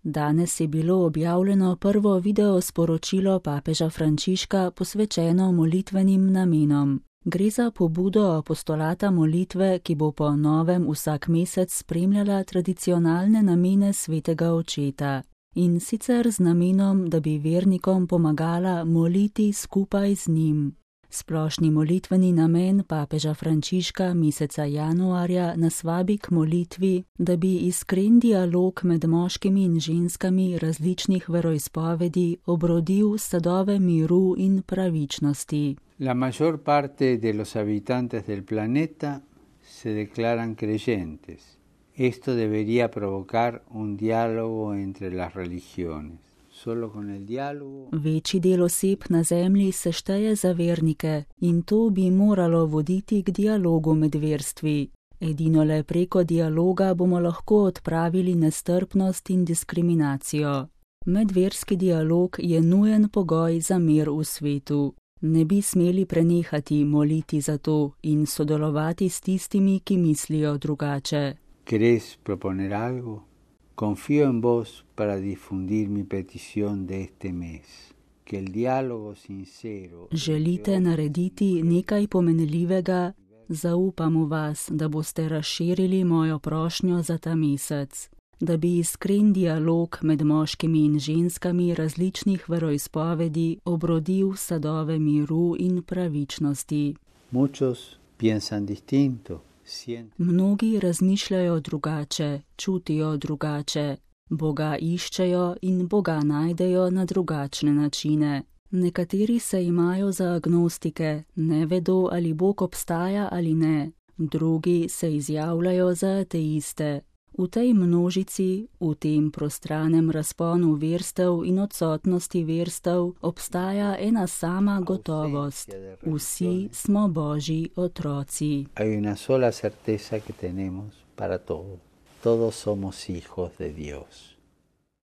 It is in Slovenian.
Danes je bilo objavljeno prvo video sporočilo papeža Frančiška posvečeno molitvenim namenom. Gre za pobudo apostolata molitve, ki bo po novem vsak mesec spremljala tradicionalne namene svetega očeta. In sicer z namenom, da bi vernikom pomagala moliti skupaj z njim. Splošni molitveni namen papeža Frančiška meseca januarja nas vabi k molitvi, da bi iskren dialog med moškimi in ženskami različnih veroizpovedi obrodil sadove miru in pravičnosti. La mayor parte de los habitantes del planeta se declaran creyentes. Esto debería provocar un diálogo entre las religiones. Večji del oseb na zemlji se šteje za vernike in to bi moralo voditi k dialogu med verstvi. Edino le preko dialoga bomo lahko odpravili nestrpnost in diskriminacijo. Medverski dialog je nujen pogoj za mir v svetu. Ne bi smeli prenehati moliti za to in sodelovati s tistimi, ki mislijo drugače. ¿Querés proponer algo? Confío en vos para difundir mi petición de este mes. Que el diálogo sincero... Želite narediti nekaj pomenljivega? Zaupam v vas, da boste razširili mojo prošnjo za ta mesec. Da bi iskren dialog med moškimi in ženskami različnih veroizpovedi obrodil sadove miru in pravičnosti. Muchos piensan distinto. Mnogi razmišljajo drugače, čutijo drugače, Boga iščejo in Boga najdejo na drugačne načine. Nekateri se imajo za agnostike, ne vedo, ali Bog obstaja ali ne, drugi se izjavljajo za ateiste. V tej množici, v tem prostranem razponu verstev in odsotnosti verstev, obstaja ena sama gotovost. Vsi smo Božji otroci. Hay una sola certeza que tenemos para todos. Todos somos hijos de Dios.